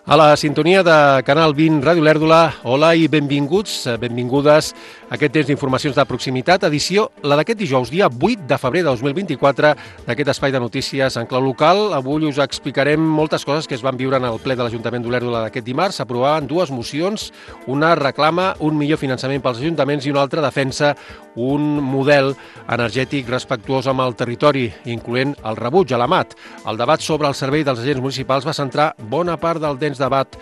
A la sintonia de Canal 20 Ràdio Lèrdula, hola i benvinguts, benvingudes a aquest temps d'informacions de proximitat, edició la d'aquest dijous, dia 8 de febrer de 2024, d'aquest espai de notícies en clau local. Avui us explicarem moltes coses que es van viure en el ple de l'Ajuntament d'Olèrdola d'aquest dimarts. S'aprovaven dues mocions, una reclama un millor finançament pels ajuntaments i una altra defensa un model energètic respectuós amb el territori, incloent el rebuig a l'AMAT. El debat sobre el servei dels agents municipals va centrar bona part del dens debat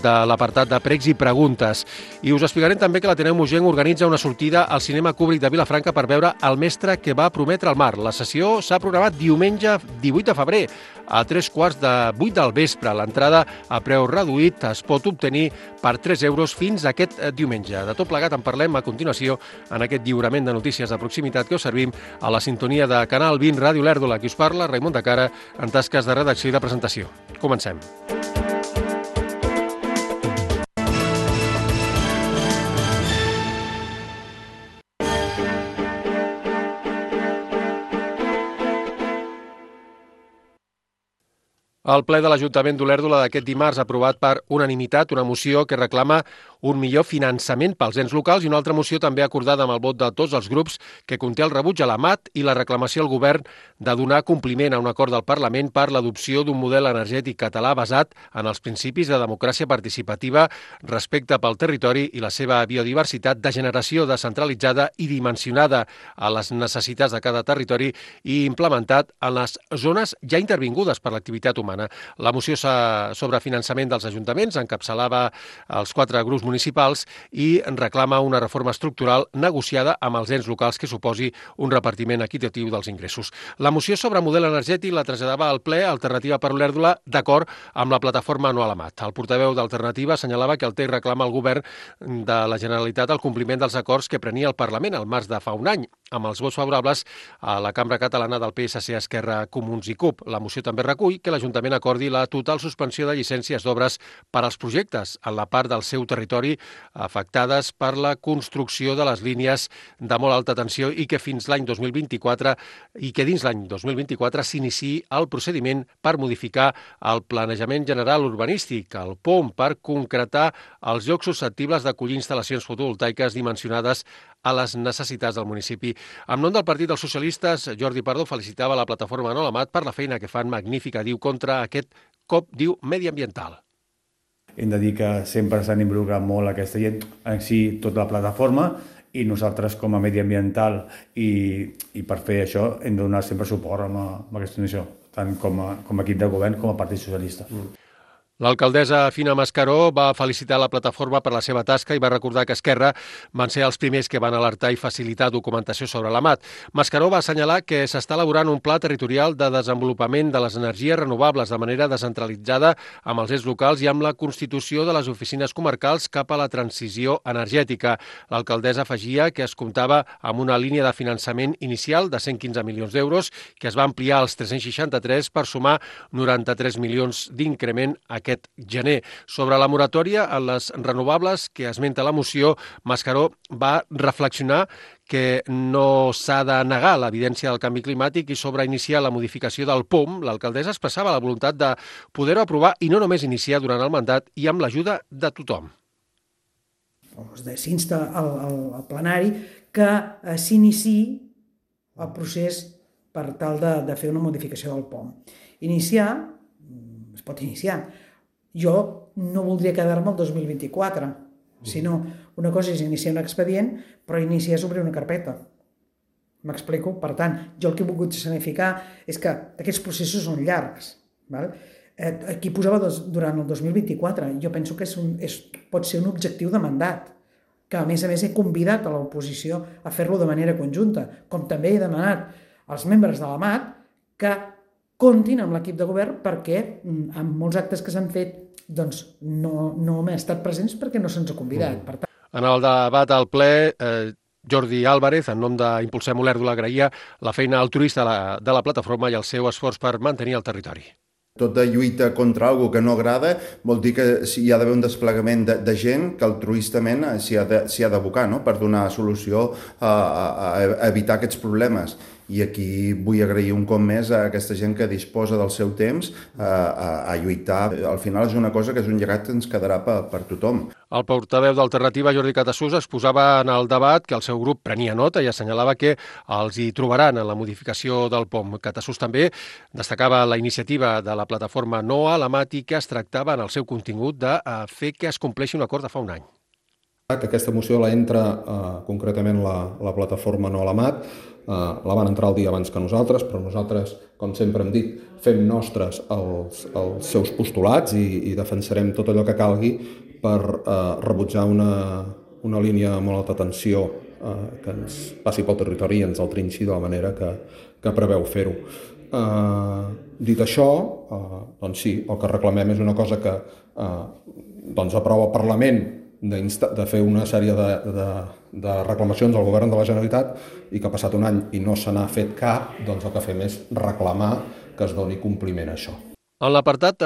de l'apartat de pregs i preguntes. I us explicarem també que l'Ateneu Moixent organitza una sortida al cinema Kubrick de Vilafranca per veure El mestre que va prometre el mar. La sessió s'ha programat diumenge 18 de febrer a 7:45 del vespre. L'entrada a preu reduït es pot obtenir per 3 euros fins aquest diumenge. De tot plegat en parlem a continuació en aquest lliurament de notícies de proximitat que us servim a la sintonia de Canal 20 Ràdio Lèrdula. Qui us parla, Raimon de Cara, en tasques de redacció i de presentació. Comencem. El ple de l'Ajuntament d'Olèrdola d'aquest dimarts ha aprovat per unanimitat una moció que reclama un millor finançament pels ens locals i una altra moció també acordada amb el vot de tots els grups que conté el rebuig a l'AMAT i la reclamació al govern de donar compliment a un acord del Parlament per l'adopció d'un model energètic català basat en els principis de democràcia participativa, respecte pel territori i la seva biodiversitat, de generació descentralitzada i dimensionada a les necessitats de cada territori i implementat en les zones ja intervingudes per l'activitat humana. La moció sobre finançament dels ajuntaments encapçalava els 4 grups municipals i reclama una reforma estructural negociada amb els ens locals que suposi un repartiment equitatiu dels ingressos. La moció sobre model energètic la traslladava al ple Alternativa per Olèrdola d'acord amb la plataforma No a l'AMAT. El portaveu d'Alternativa assenyalava que el text reclama al govern de la Generalitat el compliment dels acords que prenia el Parlament al març de fa un any, amb els vots favorables a la Cambra Catalana del PSC, Esquerra, Comuns i CUP. La moció també recull que l'Ajuntament acordi la total suspensió de llicències d'obres per als projectes en la part del seu territori afectades per la construcció de les línies de molt alta tensió i que fins l'any 2024 s'iniciï el procediment per modificar el planejament general urbanístic, el POM, per concretar els llocs susceptibles d'acollir instal·lacions fotovoltaiques dimensionades a les necessitats del municipi. En nom del Partit dels Socialistes, Jordi Pardo felicitava la plataforma No a l'AMAT per la feina que fan magnífica, diu, contra aquest cop, diu, mediambiental. Hem de dir que sempre s'han involucrat molt aquesta gent, en si tota la plataforma, i nosaltres com a mediambiental i per fer això hem de donar sempre suport amb aquesta situació, tant com a equip de govern com a Partit Socialista. L'alcaldessa Fina Mascaró va felicitar la plataforma per la seva tasca i va recordar que Esquerra van ser els primers que van alertar i facilitar documentació sobre l'AMAT. Mascaró va assenyalar que s'està elaborant un pla territorial de desenvolupament de les energies renovables de manera descentralitzada amb els ens locals i amb la constitució de les oficines comarcals cap a la transició energètica. L'alcaldessa afegia que es comptava amb una línia de finançament inicial de 115 milions d'euros que es va ampliar als 363 per sumar 93 milions d'increment aquest gener. Sobre la moratòria en les renovables que esmenta la moció, Mascaró va reflexionar que no s'ha de negar l'evidència del canvi climàtic i sobre iniciar la modificació del POM, l'alcaldessa expressava la voluntat de poder-ho aprovar i no només iniciar durant el mandat i amb l'ajuda de tothom. S'insta al plenari que s'iniciï el procés per tal de fer una modificació del POM. Es pot iniciar. Jo no voldria quedar-me el 2024, sinó una cosa és iniciar un expedient, però iniciar és obrir una carpeta. M'explico? Per tant, jo el que he volgut significar és que aquests processos són llargs. Aquí posava durant el 2024. Jo penso que pot ser un objectiu de mandat, que a més he convidat a l'oposició a fer-lo de manera conjunta, com també he demanat als membres de l'AMAT que comptin amb l'equip de govern perquè en molts actes que s'han fet no hem estat presents perquè no se'ns ha convidat. Per tant, en el debat al ple, Jordi Álvarez, en nom d'Impulsem Olèrdola, agraïa la feina altruista de la plataforma i el seu esforç per mantenir el territori. Tota lluita contra alguna que no agrada vol dir que hi ha d'haver un desplegament de gent que altruistament s'hi ha d'abocar, no?, per donar solució a evitar aquests problemes. I aquí vull agrair un cop més a aquesta gent que disposa del seu temps a lluitar. Al final és una cosa que és un llegat que ens quedarà per tothom. El portaveu d'Alternativa, Jordi Catassús, exposava en el debat que el seu grup prenia nota i assenyalava que els hi trobaran en la modificació del POM. Catassús també destacava la iniciativa de la plataforma No a la Mat i que es tractava en el seu contingut de fer que es compleixi un acord de fa un any. Que aquesta moció la entra concretament la plataforma No a la Mat, la van entrar el dia abans que nosaltres, però nosaltres, com sempre hem dit, fem nostres els seus postulats i defensarem tot allò que calgui per rebutjar una línia de molt alta tensió que ens passi pel territori i ens el trinxi de la manera que preveu fer-ho. Dit això, doncs sí, el que reclamem és una cosa que aprova el Parlament de fer una sèrie de reclamacions al govern de la Generalitat i que ha passat un any i no se n'ha fet cap, doncs el que fem és reclamar que es doni compliment a això. En l'apartat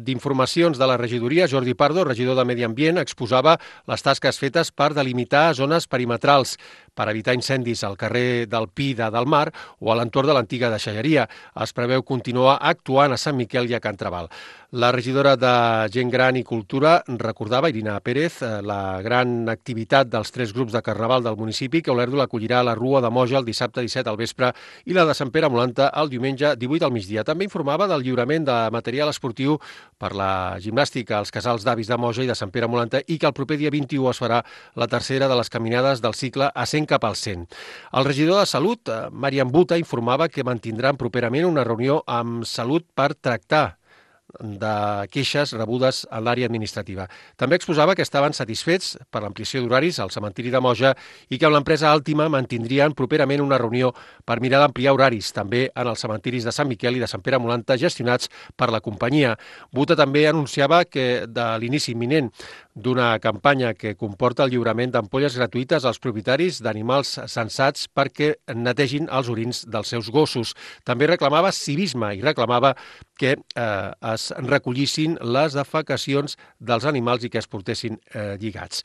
d'informacions de la regidoria, Jordi Pardo, regidor de Medi Ambient, exposava les tasques fetes per delimitar zones perimetrals per evitar incendis al carrer del Pi de Del Mar o a l'entorn de l'antiga deixalleria. Es preveu continuar actuant a Sant Miquel i a Can Trabal. La regidora de Gent Gran i Cultura recordava, Irina Pérez, la gran activitat dels 3 grups de Carnaval del municipi que Olèrdola acollirà a la Rua de Moja el dissabte 17 al vespre i la de Sant Pere Molanta el diumenge 18 al migdia. També informava del lliurament de material esportiu per la gimnàstica als casals d'avis de Moja i de Sant Pere Molanta i que el proper dia 21 es farà la tercera de les caminades del cicle a 100 cap al 100. El regidor de Salut, Marian Buta, informava que mantindran properament una reunió amb Salut per tractar de queixes rebudes a l'àrea administrativa. També exposava que estaven satisfets per l'ampliació d'horaris al cementiri de Moja i que amb l'empresa Àltima mantindrien properament una reunió per mirar d'ampliar horaris també en els cementiris de Sant Miquel i de Sant Pere Molanta gestionats per la companyia. Buta també anunciava que de l'inici imminent d'una campanya que comporta el lliurament d'ampolles gratuïtes als propietaris d'animals censats perquè netegin els orins dels seus gossos. També reclamava civisme i reclamava que es recollissin les defecacions dels animals i que es portessin lligats.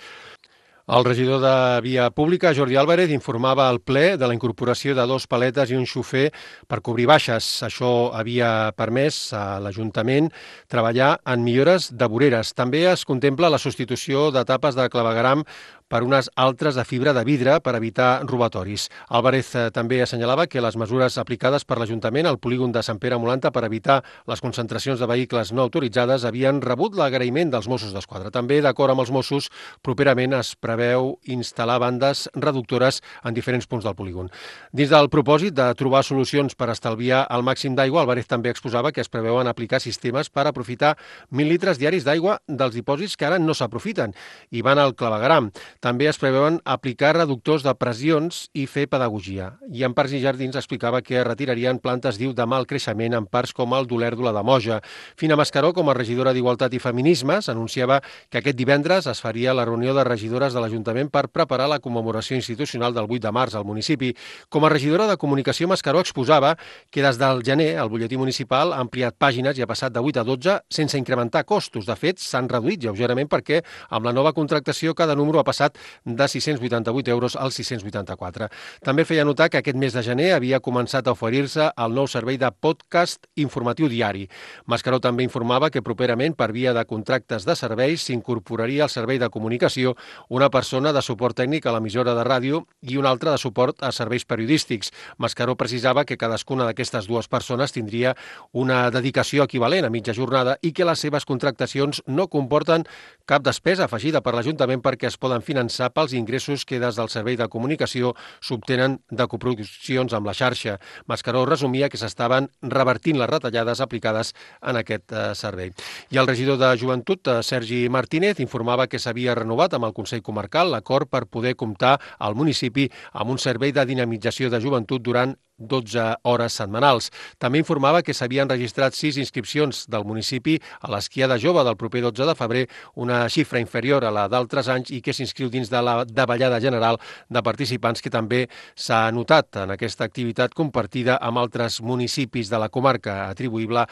El regidor de Via Pública, Jordi Álvarez, informava al ple de la incorporació de 2 paletes i un xofer per cobrir baixes. Això havia permès a l'Ajuntament treballar en millores de voreres. També es contempla la substitució d'etapes de clavegueram per unes altres de fibra de vidre per evitar robatoris. Álvarez també assenyalava que les mesures aplicades per l'Ajuntament al polígon de Sant Pere Molanta per evitar les concentracions de vehicles no autoritzades havien rebut l'agraïment dels Mossos d'Esquadra. També, d'acord amb els Mossos, properament es preveu instal·lar bandes reductores en diferents punts del polígon. Dins del propòsit de trobar solucions per estalviar el màxim d'aigua, Álvarez també exposava que es preveuen aplicar sistemes per aprofitar 1.000 litres diaris d'aigua dels dipòsits que ara no s'aprofiten i van al clavegueram. També es preveuen aplicar reductors de pressions i fer pedagogia. I en Parcs i Jardins explicava que retirarien plantes, diu, de mal creixement en parcs com el d'Olèrdola de Moja. Fina Mascaró, com a regidora d'Igualtat i Feminismes, anunciava que aquest divendres es faria la reunió de regidores de l'Ajuntament per preparar la commemoració institucional del 8 de març al municipi. Com a regidora de Comunicació, Mascaró exposava que des del gener el butlletí municipal ha ampliat pàgines i ha passat de 8 a 12 sense incrementar costos. De fet, s'han reduït lleugerament perquè amb la nova contractació cada número ha passat de 688 euros als 684. També feia notar que aquest mes de gener havia començat a oferir-se el nou servei de podcast informatiu diari. Mascaró també informava que properament, per via de contractes de serveis, s'incorporaria al servei de comunicació una persona de suport tècnic a l'emissora de ràdio i una altra de suport a serveis periodístics. Mascaró precisava que cadascuna d'aquestes 2 persones tindria una dedicació equivalent a mitja jornada i que les seves contractacions no comporten cap despesa afegida per l'Ajuntament perquè es poden finançar pels ingressos que des del servei de comunicació s'obtenen de coproduccions amb la xarxa. Mascaró resumia que s'estaven revertint les retallades aplicades en aquest servei. I el regidor de Joventut, Sergi Martínez, informava que s'havia renovat amb el Consell Comarcal l'acord per poder comptar al municipi amb un servei de dinamització de joventut durant 12 hores setmanals. També informava que s'havien registrat 6 inscripcions del municipi a l'esquiada jove del proper 12 de febrer, una xifra inferior a la d'altres anys i que s'inscriu dins de la davallada general de participants que també s'ha notat en aquesta activitat compartida amb altres municipis de la comarca, atribuïble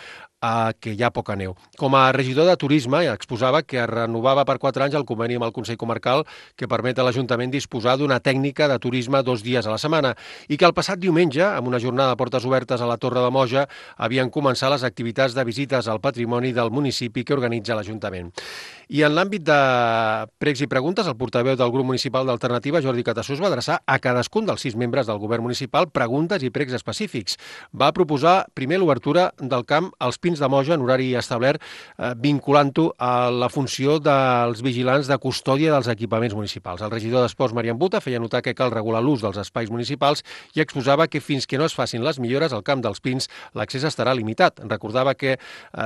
que hi ha poca neu. Com a regidor de turisme exposava que es renovava per 4 anys el conveni amb el Consell Comarcal que permet a l'Ajuntament disposar d'una tècnica de turisme 2 dies a la setmana i que el passat diumenge, amb una jornada de portes obertes a la Torre de Moja, havien començat les activitats de visites al patrimoni del municipi que organitza l'Ajuntament. I en l'àmbit de pregs i preguntes, el portaveu del grup municipal d'Alternativa, Jordi Catassús, va adreçar a cadascun dels 6 membres del govern municipal preguntes i pregs específics. Va proposar primer l'obertura del camp als Pins de Moja en horari establert, vinculant-ho a la funció dels vigilants de custòdia dels equipaments municipals. El regidor d'Esports, Marian Buta, feia notar que cal regular l'ús dels espais municipals i exposava que fins que no es facin les millores al camp dels Pins, l'accés estarà limitat. Recordava que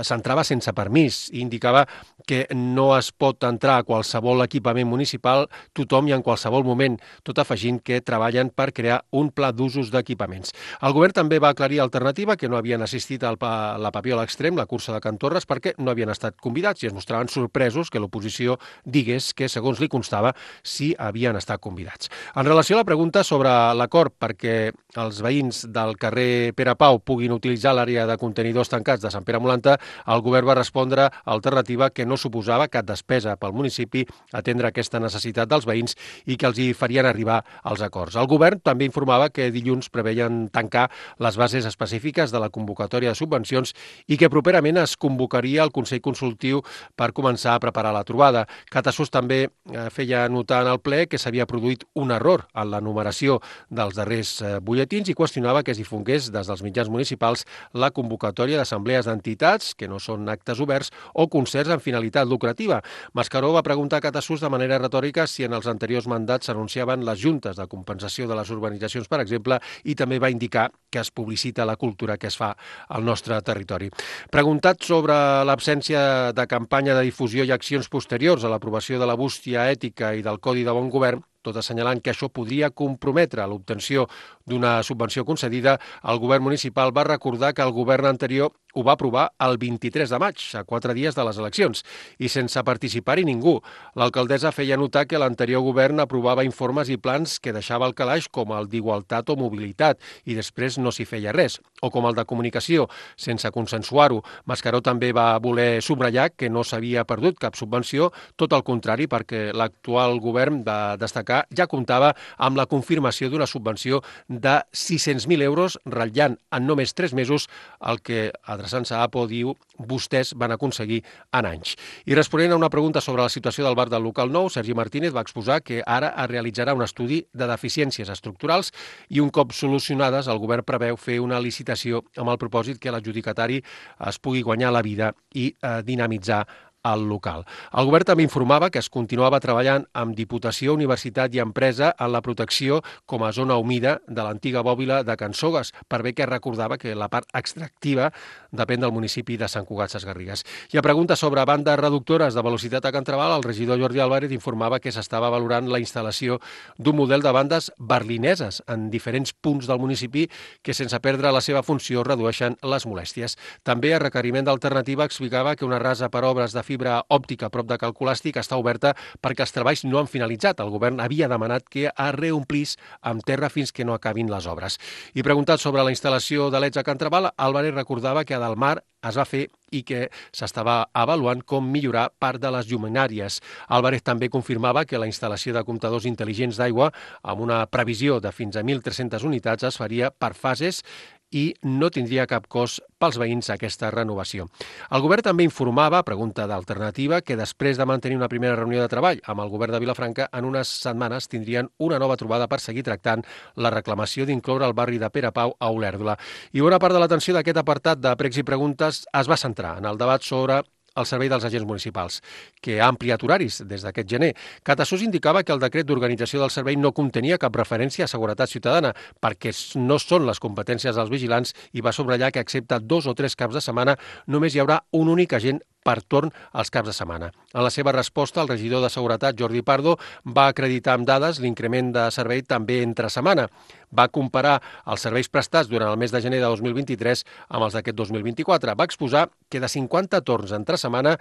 s'entrava sense permís i indicava que no es pot entrar a qualsevol equipament municipal tothom i en qualsevol moment, tot afegint que treballen per crear un pla d'usos d'equipaments. El govern també va aclarir a Alternativa que no havien assistit a la Papiol Extrem, la cursa de Can Torres, perquè no havien estat convidats i es mostraven sorpresos que l'oposició digués que, segons li constava, sí havien estat convidats. En relació a la pregunta sobre l'acord perquè els veïns del carrer Pere Pau puguin utilitzar l'àrea de contenidors tancats de Sant Pere Molanta, el govern va respondre a Alternativa que no suposava cap despesa pel municipi atendre aquesta necessitat dels veïns i que els hi farien arribar als acords. El govern també informava que dilluns preveien tancar les bases específiques de la convocatòria de subvencions i que properament es convocaria el Consell Consultiu per començar a preparar la trobada. Catassús també feia notar en el ple que s'havia produït un error en la numeració dels darrers butlletins i qüestionava que es difongués des dels mitjans municipals la convocatòria d'assemblees d'entitats, que no són actes oberts, o concerts amb finalitat lucrativa. Mascaró va preguntar a Catassús de manera retòrica si en els anteriors mandats s'anunciaven les juntes de compensació de les urbanitzacions, per exemple, i també va indicar que es publicita la cultura que es fa al nostre territori. Preguntat sobre l'absència de campanya de difusió i accions posteriors a l'aprovació de la bústia ètica i del Codi de Bon Govern, tot assenyalant que això podria comprometre l'obtenció d'una subvenció concedida, el govern municipal va recordar que el govern anterior ho va aprovar el 23 de maig, a 4 dies de les eleccions, i sense participar-hi ningú. L'alcaldessa feia notar que l'anterior govern aprovava informes i plans que deixava al calaix com el d'igualtat o mobilitat, i després no s'hi feia res, o com el de comunicació, sense consensuar-ho. Mascaró també va voler subratllar que no s'havia perdut cap subvenció, tot el contrari, perquè l'actual govern va destacar ja comptava amb la confirmació d'una subvenció de 600.000 euros, ratllant en només 3 mesos el que, adreçant-se a APO, diu vostès van aconseguir en anys. I responent a una pregunta sobre la situació del bar del local nou, Sergi Martínez va exposar que ara es realitzarà un estudi de deficiències estructurals i un cop solucionades el govern preveu fer una licitació amb el propòsit que l'adjudicatari es pugui guanyar la vida i dinamitzar al local. El govern també informava que es continuava treballant amb Diputació, Universitat i Empresa en la protecció com a zona humida de l'antiga bòbila de Can Sogues, per bé que recordava que la part extractiva depèn del municipi de Sant Cugat Sesgarrigues. I a pregunta sobre bandes reductores de velocitat a Can Trabal, el regidor Jordi Álvarez informava que s'estava valorant la instal·lació d'un model de bandes berlineses en diferents punts del municipi que, sense perdre la seva funció, redueixen les molèsties. També, a requeriment d'Alternativa, explicava que una rasa per obres de fibra òptica a prop de Cal Colàstic està oberta perquè els treballs no han finalitzat. El govern havia demanat que es reomplís amb terra fins que no acabin les obres. I preguntat sobre la instal·lació de leds a Can Trabal, Álvarez recordava que a Dalmar es va fer i que s'estava avaluant com millorar part de les lluminàries. Álvarez també confirmava que la instal·lació de comptadors intel·ligents d'aigua amb una previsió de fins a 1.300 unitats es faria per fases i no tindria cap cost pels veïns aquesta renovació. El govern també informava, a pregunta d'Alternativa, que després de mantenir una primera reunió de treball amb el govern de Vilafranca, en unes setmanes tindrien una nova trobada per seguir tractant la reclamació d'incloure el barri de Pere Pau a Olèrdola. I bona part de l'atenció d'aquest apartat de pregs i preguntes es va centrar en el debat sobre el servei dels agents municipals, que ha ampliat horaris des d'aquest gener. Catassús indicava que el decret d'organització del servei no contenia cap referència a seguretat ciutadana, perquè no són les competències dels vigilants, i va subratllar que, excepte 2 o 3 caps de setmana, només hi haurà un únic agent per torn als caps de setmana. En la seva resposta, el regidor de Seguretat, Jordi Pardo, va acreditar amb dades l'increment de servei també entre setmana. Va comparar els serveis prestats durant el mes de gener de 2023 amb els d'aquest 2024. Va exposar que de 50 torns entre setmana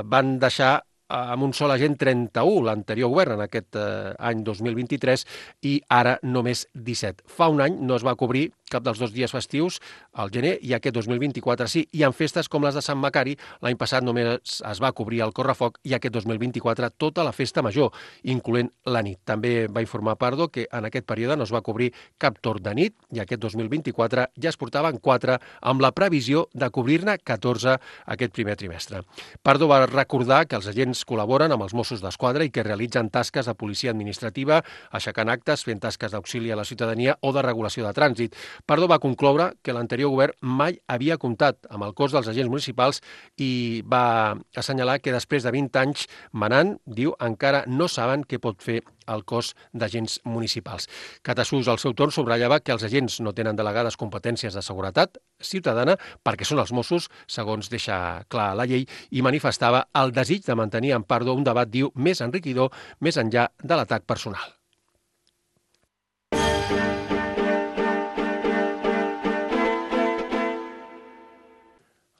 van deixar amb un sol agent 31, l'anterior govern, en aquest any 2023, i ara només 17. Fa un any no es va cobrir cap dels dos dies festius, al gener, i aquest 2024 sí. I en festes com les de Sant Macari, l'any passat només es va cobrir el correfoc i aquest 2024 tota la festa major, incloent la nit. També va informar Pardo que en aquest període no es va cobrir cap torn de nit i aquest 2024 ja es portaven 4 amb la previsió de cobrir-ne 14 aquest primer trimestre. Pardo va recordar que els agents col·laboren amb els Mossos d'Esquadra i que realitzen tasques de policia administrativa, aixecant actes, fent tasques d'auxili a la ciutadania o de regulació de trànsit. Pardo va concloure que l'anterior govern mai havia comptat amb el cos dels agents municipals i va assenyalar que després de 20 anys manant, diu, encara no saben què pot fer el cos d'agents municipals. Catasús, al seu torn, subratllava que els agents no tenen delegades competències de seguretat ciutadana perquè són els Mossos, segons deixa clar la llei, i manifestava el desig de mantenir en Pardo un debat, diu, més enriquidor, més enllà de l'atac personal.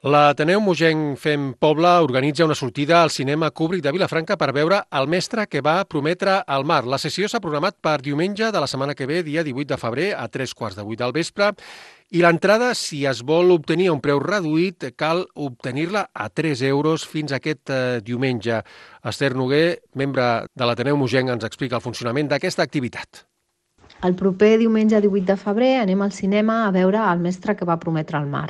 L'Ateneu Mogenc Fem Poble organitza una sortida al cinema Kubrick de Vilafranca per veure El mestre que va prometre al mar. La sessió s'ha programat per diumenge de la setmana que ve, dia 18 de febrer, a 3:15 del vespre, i l'entrada, si es vol obtenir a un preu reduït, cal obtenir-la a 3 euros fins aquest diumenge. Esther Noguer, membre de l'Ateneu Mogenc, ens explica el funcionament d'aquesta activitat. El proper diumenge 18 de febrer anem al cinema a veure El mestre que va prometre al mar.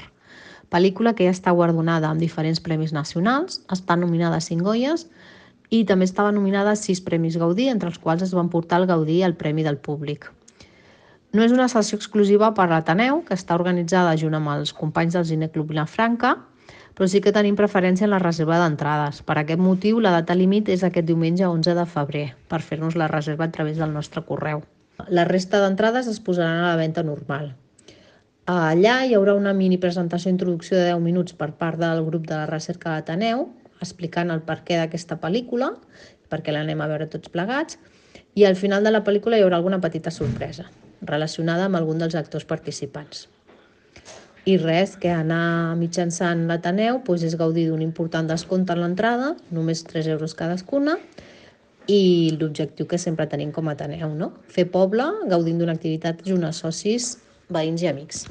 Pel·lícula que ja està guardonada amb diferents premis nacionals, està nominada a 5 Goyes i també estava nominada a 6 premis Gaudí, entre els quals es van portar el Gaudí i el Premi del Públic. No és una sessió exclusiva per l'Ateneu, que està organitzada junt amb els companys del Cineclub Vilafranca, però sí que tenim preferència en la reserva d'entrades. Per aquest motiu, la data límit és aquest diumenge 11 de febrer, per fer-nos la reserva a través del nostre correu. La resta d'entrades es posaran a la venda normal. Allà hi haurà una mini presentació d'introducció de 10 minuts per part del grup de la recerca d'Ateneu, explicant el perquè d'aquesta pel·lícula, perquè l'anem a veure tots plegats, i al final de la pel·lícula hi haurà alguna petita sorpresa relacionada amb algun dels actors participants. I res, que anar mitjançant l'Ateneu és gaudir d'un important descompte en l'entrada, només 3 euros cadascuna, i l'objectiu que sempre tenim com a Ateneu, no? Fer poble, gaudint d'una activitat junt a socis, veïns i amics.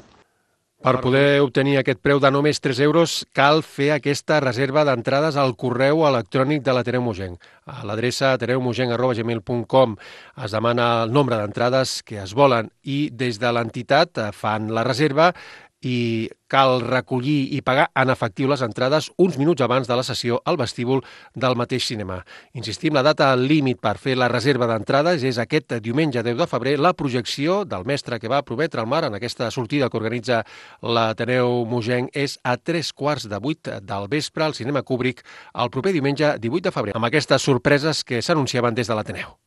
Per poder obtenir aquest preu de només 3 euros, cal fer aquesta reserva d'entrades al correu electrònic de l'Ateneu Mogenc. A l'adreça ateneumogenc@gmail.com es demana el nombre d'entrades que es volen i des de l'entitat fan la reserva i cal recollir i pagar en efectiu les entrades uns minuts abans de la sessió al vestíbul del mateix cinema. Insistim, la data límit per fer la reserva d'entrades és aquest diumenge 10 de febrer, la projecció del mestre que va prometre al mar en aquesta sortida que organitza l'Ateneu Mogenc és a 7:15 del vespre al cinema Kubrick el proper diumenge 18 de febrer, amb aquestes sorpreses que s'anunciaven des de l'Ateneu.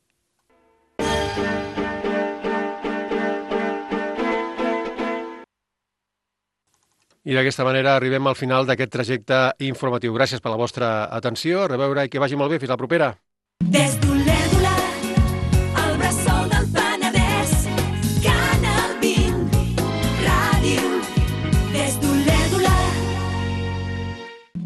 I d'aquesta manera arribem al final d'aquest trajecte informatiu. Gràcies per la vostra atenció. A reveure i que vagi molt bé. Fins la propera.